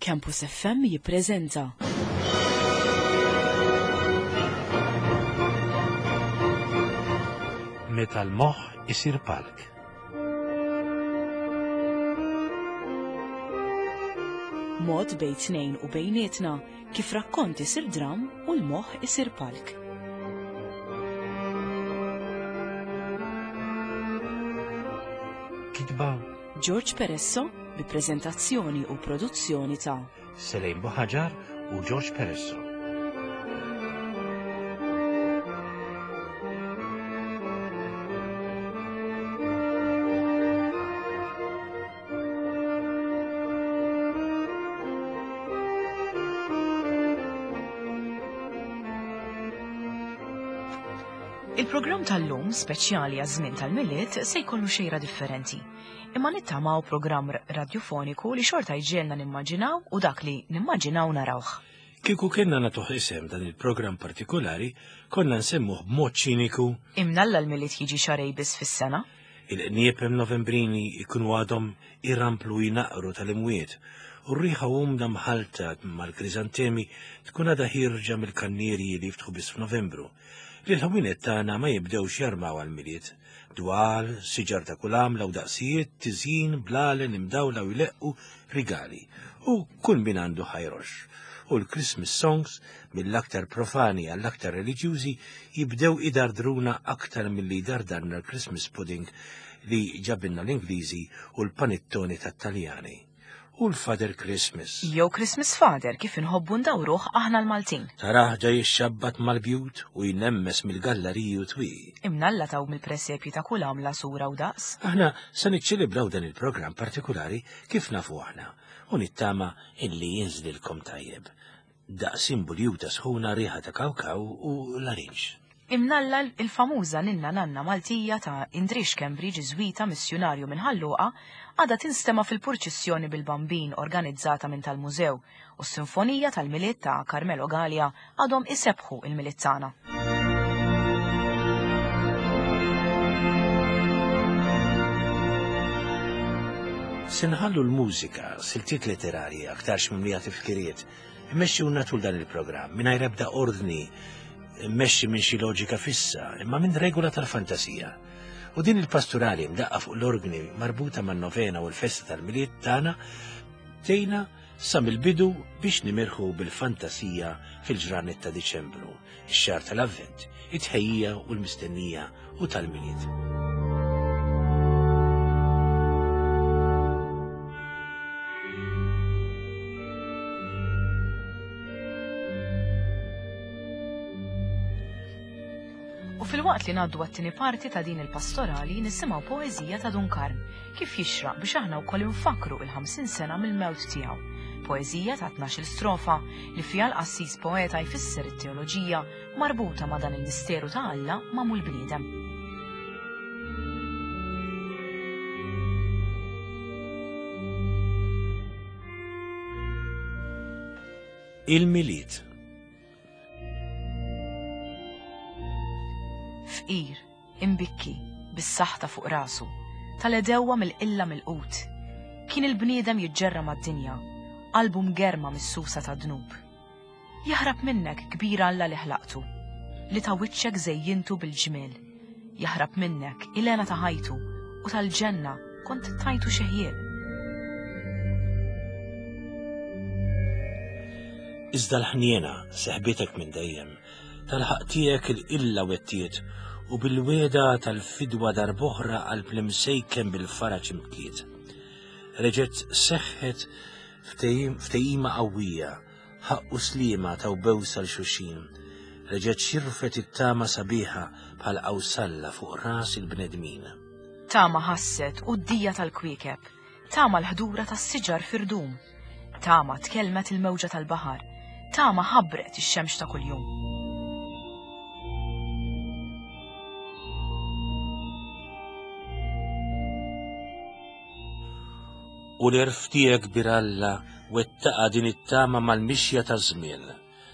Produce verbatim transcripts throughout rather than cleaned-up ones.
Campus F M jippreżenta Meta l-moħħ isir palk. Mod bejn tnejn u bejnietna kif rakkont isir dram u l-moħħ isir palk. Kitba George Peresso bi preżentazzjoni u produzzjoni ta' Selejn Buħaġar u George Peresso. Il-programm tal-lum speċjali għaż-żmien tal-Milied se jkollu xejra differenti. Imma nittamaw programm radiofoniku li xorta jġielna nimmaġinaw u dak li nimmaġinaw narawh. Kieku kienna nagħtuh isem dan il-programm partikolari, konna nsemmuh b'mod ċiniku. Imnalla l-Milied jiġi xarej biss fis-sena. Il-qniepem Novembrini ikunu għadhom irramplu jinaqru tal-imwiet u r-riħa umda mħalta mal-krizantemi tkun għadha ħierġa mill-kannierji li jiftħu biss f'Novembru. Li l-ħwienet tagħna ma jibdewx jarmaw għall-Milied. Dwal, siġar ta' kull għamla u daqsijiet, tiżjin, blalen, imdawla u jleqqu rigali. U kull min għandu ħajrox. U l-Christmas songs, mill-aktar profani għall-aktar reliġjużi, jibdew idardruna aktar milli jdardarna l-Christmas pudding li ġabinna l-Ingliżi u l-panettoni tat-Taljani. U l-Father Christmas. Jew Christmas Father kif inħobbu ndawruh aħna l-Maltin. Taraħ ġej ixxabbat mal-bjut u jnemmes mill-galleriji u twieqi. Imnalla taw mill-presepji ta' kull għamla sura u daqs. Aħna se niċċelebraw dan il-programm partikolari kif nafu aħna u nittama illi jinżlilkom tajjeb. Daqs imbuljuta sħuna, riħa ta' kawkaw u larinġ. Imnalla il-famuża ninna nanna Maltija ta' Indrix Schembri, ġiżwita missjunarju minn Ħal Luqa, għadha tinstema' fil-purċissjoni bil-Bambin organizzata minn tal-Mużew u s-Sinfonija tal-Milied ta' Carmelo Galea għadhom isebħu il-Milied tagħna. Se nħallu l-mużika, siltiet letterarji aktarx mimlija tifkiriet, immexxiwna tul dan il-programm mingħajr ebda ordni, immexxi minn xi loġika fissa, imma minn regola tal-fantasija. U din il-pastorali mdaqqa fuq l-organi marbuta man-novena u l-festa tal-Milied tagħna tgħinna sa mill-bidu biex nimirħu bil-fantasija fil-ġranet ta' Diċembru, ix-xahar tal-Avvent, it-tħejjija u l-mistennija u tal-Milied. U fil-waqt li ngħaddu għat-tieni parti ta' din il-pastorali nisimgħu poeżija ta' Dun Karm kif jixraq biex aħna wkoll infakkru il-ħamsin sena mill-mewt tiegħu. Poeżija ta' tnax-il strofa li fiha l-qassis poeta jfisser it-teoloġija marbuta ma' dan il-misteru ta' Alla magħmul bniedem. Il-Milied. Fqir, imbikki, bis-saħta fuq rasu, tal-edewwa mill-qilla mill-qut. Kien il-bniedem jiġġerra mad-dinja, qalbu mgerma mis-susa ta' dnub. Jaħrab minnek kbir Alla li ħlaqtu, li ta' wiċċek żejjintu bil-ġmiel. Jaħrab minnek il-hena ta' ħajtu u tal-ġenna kont tajtu xi ħjiel. Iżda l-ħniena seħbitek minn dejjem, tal-ħaq tiegħek il-qilla wettiet u bil-weda tal-fidwa darb'oħra qalb l-imsejken bil-faraġ imtliet. Reġgħet seħħet ftehim, ftehima qawwija, ħaqq u sliema taw bewsa l-xuxin. Reġgħet xirfet it-tama sabiħa bħal qawsalla fuq ras il-bnedmin. Tama ħasset u d-dija tal-kwiekeb, tama l-ħdura tas-siġar firdum, tama tkellmet il-mewġa tal-baħar, tama ħabbret ix-xemx ta' kuljum. U l-erf tiegħek bir Alla wettaqa din it-tama mal-mixja taż-żmien.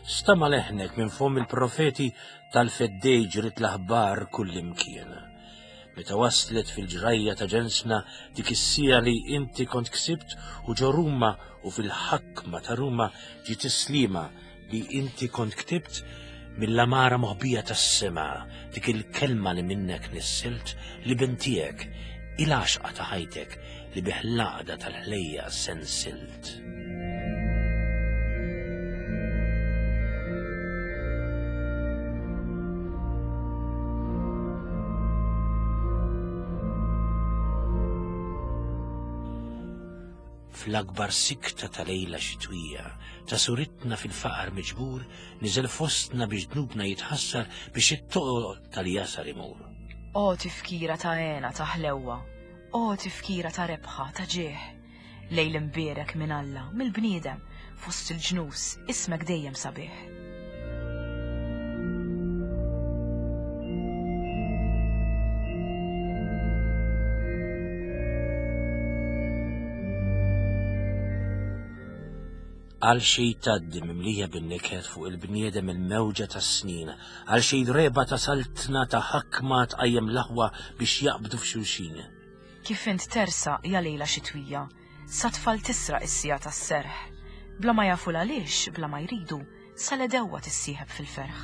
Stama leħnek minn fomm il-profeti tal-feddej ġrit l-aħbar kullimkien. Meta waslet fil-ġrajja ta' ġensna dik is-sija li inti kont ksibt u ġo Ruma u fil-ħakma ta' Ruma ġiet is-slima li inti kont ktibt mill-amara moħbija tas-sema, dik il-kelma li minnek nissilt li bintijek, il-għaxqa ta' ħajtek li biħlaqda tal-ħlejja sensilt. Fl-akbar sikta ta' lejla xitwija, ta' suritna fil-faqar miġbur, niżel fostna biex dnubna jitħassar biex it-toqol tal-jasar imur. O tifkira ta' għena ta' ħlewwa, o tifkira ta' rebħa ta' ġieħ, lejl imbierek minn Alla, mill-bniedem, fost il-ġnus, ismek dejjem sabiħ. Għal xej taddi mimlija bin-niket fuq il-bniedem il-mewġa tas-snin, għal xej reba ta' saltna ta' ħakma tqajjem l-aħwa biex jaqbdu f'xulxin. Kif int tersa ja lejla xitwija, sa tfal tisraq is-sija tas-serħ, bla ma jafu għaliex, bla ma jridu, sa l-edewwa tissieħeb fil-ferħ.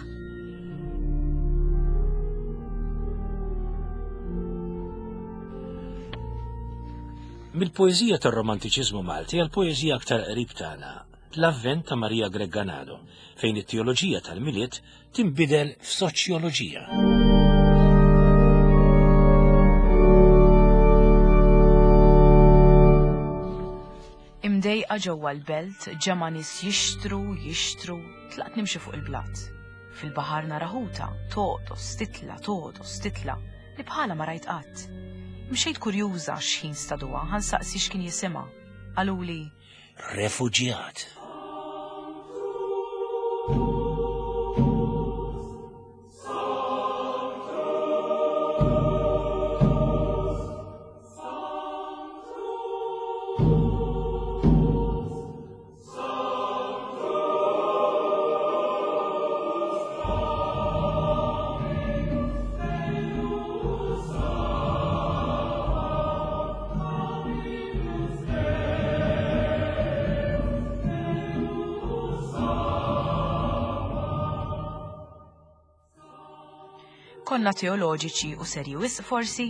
Mill-poeżija tar-Romantiċiżmu Malti għal poeżija aktar qrib tagħna, l-Avvent ta' Maria Grech Ganado, fejn it-teoloġija tal-Milied tinbidel f'soċjoloġija. Imdejqa ġewwa l-belt, ġemgħa nies jixtru, jixtru, tlaqt nimxi fuq il-blat. Fil-baħar nara ħuta, toqdos, titla, toqdos, titla, li bħala ma rajt qatt. Mxejt kurjuża x'ħin staduha, ħansaqsi x'kien jisimha. Qaluli Refuġjat. Konna teoloġiċi u serji wisq forsi,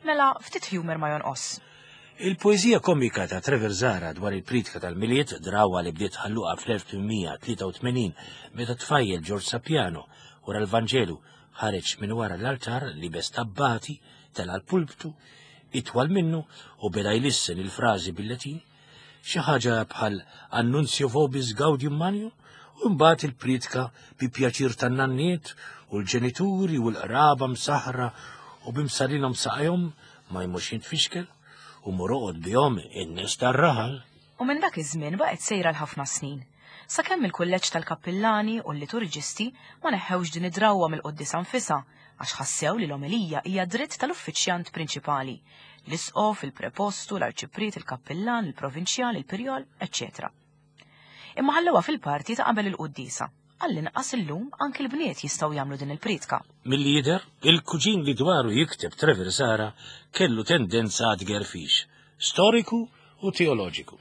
mela ftit humor ma jonqos. Il-poeżija komika ta' Trevor Zahra dwar il-pritka tal-Milied, drawa li bdiet ħalluqa fl-elf tmien tlieta u tmenin meta tfajjel George Sapiano wara l-Vanġelu ħareġ minn wara l-altar li bes tabbati tela l-pulptu itwal minnu u beda jlissen il-frażi bil-Latin, xi ħaġa bħal Annunzio vobis gaudium magnum, u mbagħad il-pritka bi pjaċir tan-nanniet u l-ġenituri u l-qraba msaħra u bimsarinhom saqajhom ma jmurx jintfixkel u moroqod bihom in-nies tar-raħal. U minn dak iż-żmien baqgħet sejra l-ħafna snin, sakemm il-kulleġġ tal-kappillani u l-liturġisti ma neħħewx din id-drawwa mill-quddiesa nfisha għax ħassew li l-omelija hija dritt tal-uffiċjant prinċipali, l-isqof, il-prepostu, l-arċipriet, il-kappillan, il-provinċjal, il-pirjol, eċċetera. Imma ħallewha fil-parti ta' qabel il-quddiesa. Għall-inqas illum anki l-bniet jistgħu jagħmlu din il-pritka. Milli jidher, il-kuġin li dwaru jikteb Trevor Zahra kellu tendenza għad-gerfix, storiku u teoloġiku.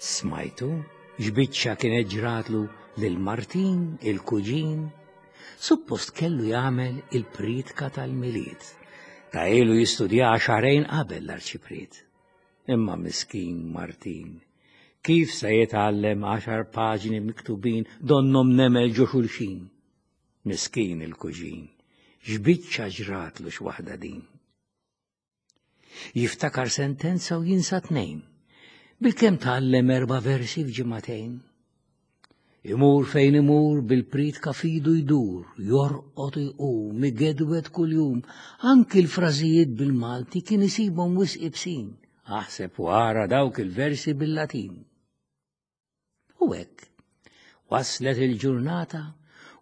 Smajtu x'biċċa kienet ġratlu lil Martin, il-kuġin. Suppost kellu jagħmel il-pritka tal-Milied. Ta' ilu jistudja xahrejn qabel l-arċipriet. Imma miskin Martin, kif se jitgħallem għaxar paġni miktubin donnom nemel ġo xulxin? Miskin il-kuġin, x'biċċa ġratlu x'waħda din. Jiftakar sentenza u jinsa tnejn. Bilkemm tgħallem erba' versi f'ġimagħtejn. Imur fejn imur bil-pritka fidu jdur, jorqod iqum, igedwed kuljum, anki l-frażijiet bil-Malti kien isibhom wisq ibsin, aħseb wara dawk il-versi bil-Latin. U hekk, waslet il-ġurnata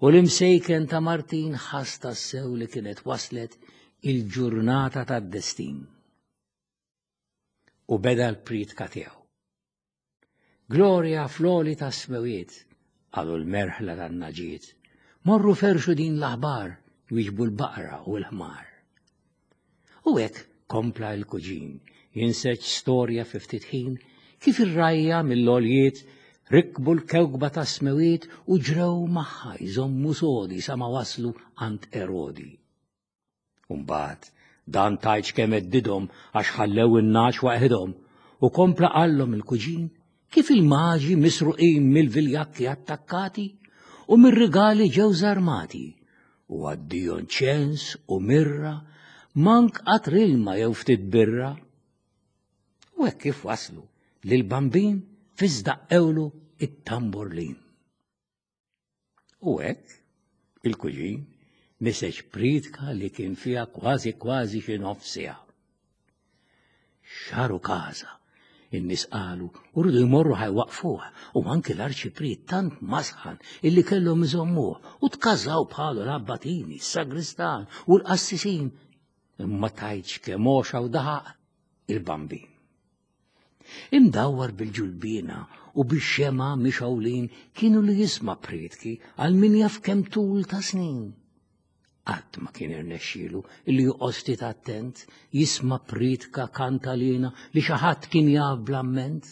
u l-imsejken ta' Martin ħass tassew li kienet waslet il-ġurnata tad-destin. U beda l-pritka tiegħu. Glorja fl-għoli tas-smewiet, qalu l-merħla tan-naġiet. Morru ferxu din l-aħbar, wieġbu l-baqra u l-ħmar. U hekk kompla l-kuġin, jinseġ storja fi ftit ħin, kif ir-rgħajja mill-għoljiet rikbu l-kewkba tas-smewiet u ġrew magħha jżommu sodi sa ma waslu għand Erodi. Umbagħad dan tajċ kemm heddidhom għax ħallew in-nagħaġ waħedhom u kompla qallhom il-kuġin kif il-maġi misruqin mill-viljakki attakkati u mir-rigali ġew żarmati u għaddijo ċens u mirra mank qatr ilma jew ftit birra. U hekk kif waslu lil-Bambin fiżdaqqewlu it-tamburlin. U hekk il-kuġin niseġ priedka li kien fiha kważi kważi xi nofs siegħa. Xaru każa, in-nies qalu u rridu jmorru ħajwaqfuh u anki l-arċipriet tant masħan illi kellhom iżommuh u tkażaw bħalu l-abbatini, s-sagristan u l-qassisin. Imma tajtx kemm għoxa u daħaq il-Bambin. Imdawwar bil-ġulbina u bix-xema mixgħulin kienu li jisma' priedki għal min jaf kemm tul ta' snin. Qatt ma kien irnexxielu illi joqgħod ftit attent jisma' priedka kantalina li xi ħadd kien jaf bl-amment.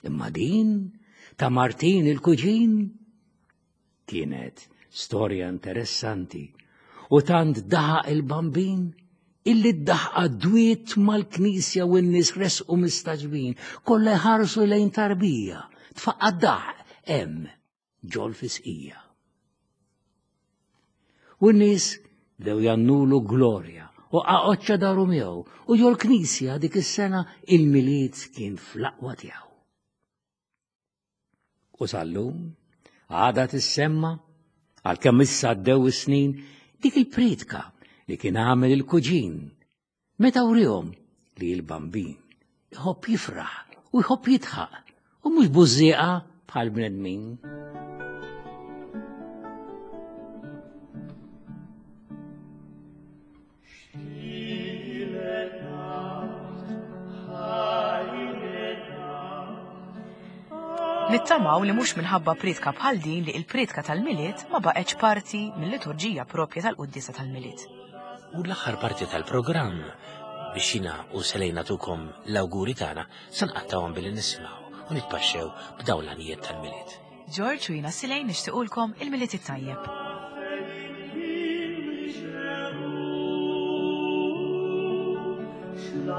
Imma din ta' Martin il-kuġin kienet storja interessanti u tant daħaq il-Bambin illi d-daħqa dwiet mal-knisja u n-nies resqu mistaġbin, kollha jħarsu lejn tarbija, tfaqqa' daħq hemm ġol fisqija. U n-nies bdew jannulu glorja u qaqoċċa daru miegħu u ġol knisja dik is-sena il-Milied kien fl-aqwa tiegħu. U sal-lum għadha tissemma għalkemm issa għaddew is-snin dik il-priedka li kien għamel il-kuġin meta wrihom li l-Bambin iħobb jifraħ u jħobb jidħaq u mhux bużżieqa bħal bnedmin. Nittamaw li mhux minħabba priedka bħal din li l-priedka tal-Milied ma baqgħetx parti mill-liturġija propja tal-quddiesa tal-Milied. U l-aħħar parti tal-programm biex jiena u Selejna tukom l-awguri tagħna se nqattawhom billi nisimgħu u nitpaxxew b'dawn l-għanijiet tal-Milied. George u jiena Selejn nixtiequlkom il-Milied it-tajjeb. Stille